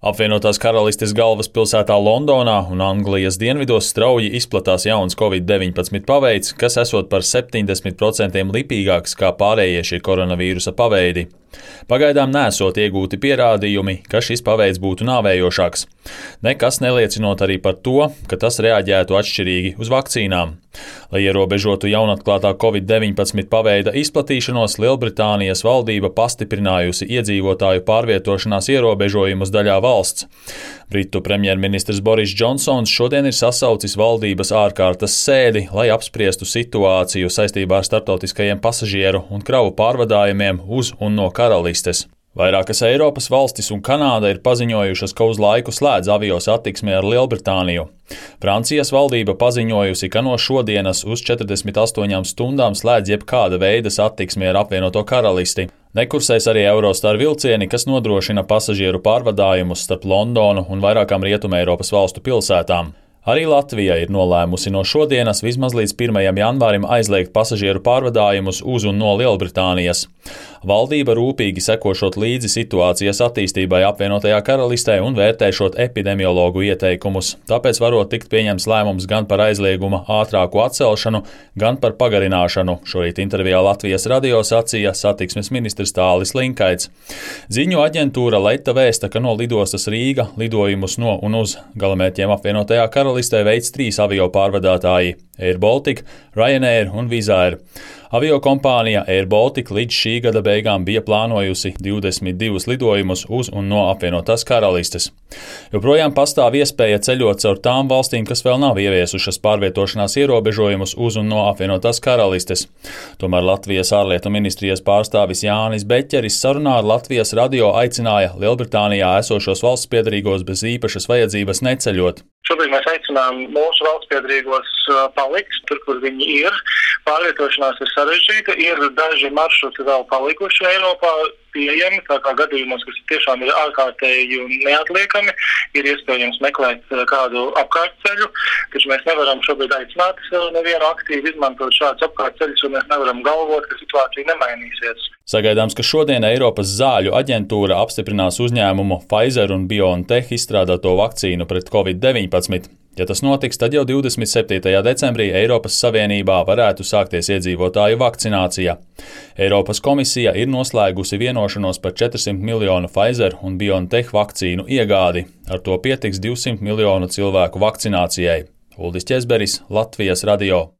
Apvienotās Karalistes galvaspilsētā Londonā un Anglijas dienvidos strauji izplatās jauns Covid-19 paveids, kas esot par 70% lipīgāks kā pārējie šī koronavīrusa paveidi. Pagaidām nesot iegūti pierādījumi, ka šis paveids būtu nāvējošāks. Nekas neliecinot arī par to, ka tas reaģētu atšķirīgi uz vakcīnām. Lai ierobežotu jaunatklātā Covid-19 paveida izplatīšanos, Lielbritānijas valdība pastiprinājusi iedzīvotāju pārvietošanās ierobežojumus daļā valsts. Britu premjerministrs Boris Džonsons šodien ir sasaucis valdības ārkārtas sēdi, lai apspriestu situāciju saistībā ar starptautiskajiem pasažieru un kravu pārvadājumiem uz un no karalistes. Vairākas Eiropas valstis un Kanāda ir paziņojušas, ka uz laiku slēdz avio satiksmi ar Lielbritāniju. Francijas valdība paziņojusi, ka no šodienas uz 48 stundām slēdz jebkāda veida satiksmi ar apvienoto karalisti. Nekursēs arī Eurostar vilcieni, kas nodrošina pasažieru pārvadājumus starp Londonu un vairākām Rietumē Eiropas valstu pilsētām. Arī Latvija ir nolēmusi no šodienas vismaz līdz 1. janvārim aizliegt pasažieru pārvadājumus uz un no Lielbritānijas. Valdība rūpīgi sekošot līdzi situācijas attīstībai apvienotajā karalistē un vērtēšot epidemiologu ieteikumus, tāpēc varot tikt pieņemts lēmums gan par aizlieguma ātrāku atcelšanu, gan par pagarināšanu, šorīt intervijā Latvijas radio sacīja satiksmes ministrs Tālis Linkaits. Ziņu aģentūra Leta vēsta, ka no lidostas Rīga lidojumus no un uz galamērķiem apvienotajā karalistē veids 3 avio pārvadātāji – Air Baltica, Ryanair un Wizz Air. Aviokompānija Air Baltica līdz šī gada beigām bija plānojusi 22 lidojumus uz un no apvienotās karalistes. Joprojām pastāv iespēja ceļot caur tām valstīm, kas vēl nav ieviesušas pārvietošanās ierobežojumus uz un no apvienotās karalistes. Tomēr Latvijas ārlietu ministrijas pārstāvis Jānis Beķeris sarunā ar Latvijas radio aicināja Lielbritānijā esošos valstspiederīgos bez īpašas vajadzības neceļot. Šobrīd mēs aicinām mūsu valstspiederīgos palikt tur, kur viņi ir. Pārvietošanās ir sarežģīta, ir daži maršruti vēl palikuši Eiropā pieejami, tā kā gadījumos, kas tiešām ir ārkārtēji un neatliekami, ir iespējams meklēt kādu apkārtceļu, taču mēs nevaram šobrīd aicināt nevienu aktīvi izmantot šādus apkārtceļus, un mēs nevaram galvot, ka situācija nemainīsies. Sagaidāms, ka šodien Eiropas zāļu aģentūra apstiprinās uzņēmumu Pfizer un BioNTech izstrādāto vakcīnu pret Covid-19. Ja tas notiks, tad jau 27. decembrī Eiropas Savienībā varētu sākties iedzīvotāju vakcinācija. Eiropas komisija ir noslēgusi vienošanos par 400 miljonu Pfizer un BioNTech vakcīnu iegādi. Ar to pietiks 200 miljonu cilvēku vakcinācijai. Uldis Ķezberis, Latvijas radio.